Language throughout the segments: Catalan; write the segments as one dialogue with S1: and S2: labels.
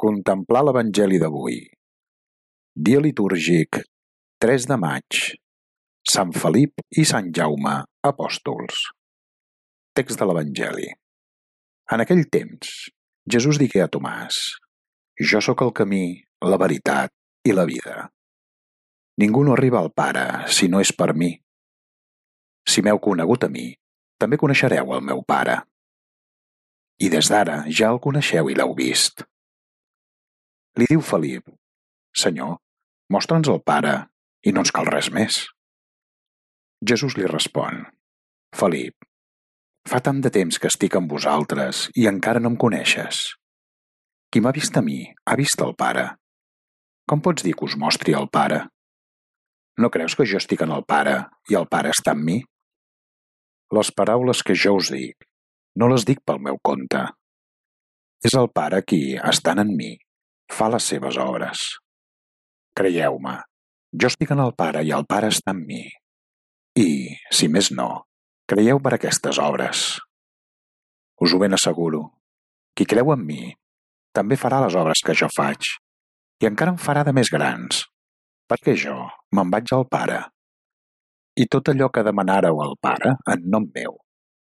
S1: Contemplar l'Evangeli d'avui. Dia litúrgic 3 de maig. Sant Felip i Sant Jaume, apòstols. Text de l'Evangeli. En aquell temps, Jesús digué a Tomàs: Jo sóc el camí, la veritat i la vida. Ningú no arriba al Pare si no és per mi. Si m'heu conegut a mi, també coneixereu el meu Pare. I des d'ara ja el coneixeu i l'heu vist. Li diu Felip: Senyor, mostra'ns el Pare i no ens cal res més. Jesús li respon: Felip, fa tant de temps que estic amb vosaltres i encara no em coneixes. Qui m'ha vist a mi, ha vist el Pare. Com pots dir que us mostri el Pare? No creus que jo estic en el Pare i el Pare està en mi? Les paraules que jo us dic, no les dic pel meu compte. És el Pare qui, estant en mi, fa les seves obres. Creieu-me, jo estic en el Pare i el Pare està en mi. I, si més no, creieu per aquestes obres. Us ho ben asseguro, qui creu en mi, també farà les obres que jo faig, i encara en farà de més grans, perquè jo me'n vaig al Pare. I tot allò que demanàreu al Pare en nom meu,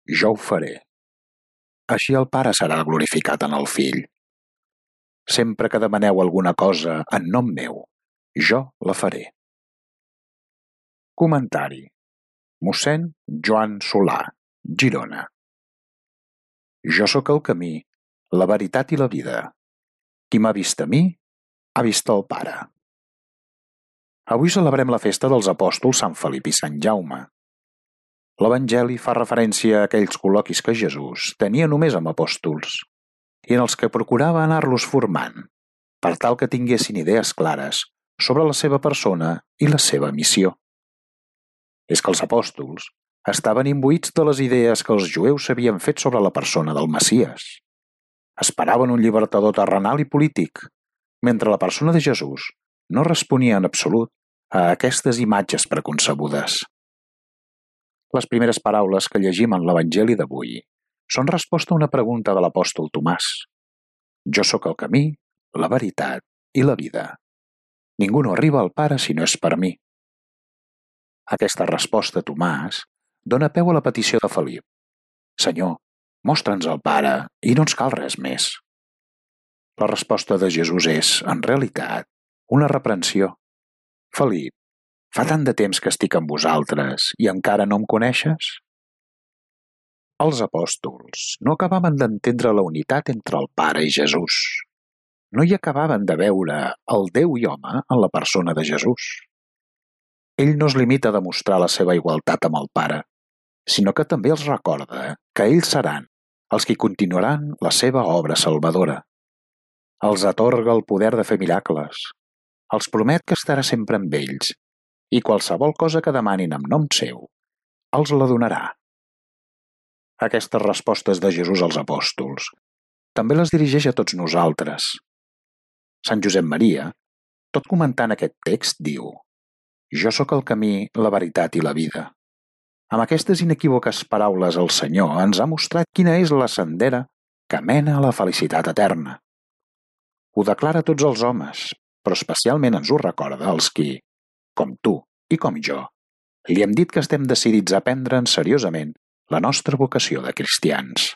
S1: jo ho faré. Així el Pare serà glorificat en el Fill. Sempre que demaneu alguna cosa en nom meu, jo la faré. Comentari. Mossèn Joan Solà, Girona. Jo sóc el camí, la veritat i la vida. Qui m'ha vist a mi, ha vist el Pare. Avui celebrem la festa dels apòstols Sant Felip i Sant Jaume. L'Evangeli fa referència a aquells col·loquis que Jesús tenia només amb apòstols i en els que procurava anar-los formant, per tal que tinguessin idees clares sobre la seva persona i la seva missió. És que els apòstols estaven imbuïts de les idees que els jueus s'havien fet sobre la persona del Messies. Esperaven un llibertador terrenal i polític, mentre la persona de Jesús no responia en absolut a aquestes imatges preconcebudes. Les primeres paraules que llegim en l'Evangeli d'avui són resposta a una pregunta de l'apòstol Tomàs. Jo sóc el camí, la veritat i la vida. Ningú no arriba al Pare si no és per mi. Aquesta resposta a Tomàs dona peu a la petició de Felip. Senyor, mostra'ns el Pare i no ens cal res més. La resposta de Jesús és, en realitat, una reprensió. Felip, fa tant de temps que estic amb vosaltres i encara no em coneixes? Els apòstols no acabaven d'entendre la unitat entre el Pare i Jesús. No hi acabaven de veure el Déu i home en la persona de Jesús. Ell no es limita a demostrar la seva igualtat amb el Pare, sinó que també els recorda que ells seran els qui continuaran la seva obra salvadora. Els atorga el poder de fer miracles, els promet que estarà sempre amb ells i qualsevol cosa que demanin en nom seu, els la donarà. Aquestes respostes de Jesús als apòstols també les dirigeix a tots nosaltres. Sant Josep Maria, tot comentant aquest text, diu: Jo sóc el camí, la veritat i la vida. Amb aquestes inequívoques paraules el Senyor ens ha mostrat quina és la sendera que mena a la felicitat eterna. Ho declara a tots els homes, però especialment ens ho recorda als qui, com tu i com jo, li hem dit que estem decidits a prendre'n seriosament la nostra vocació de cristians.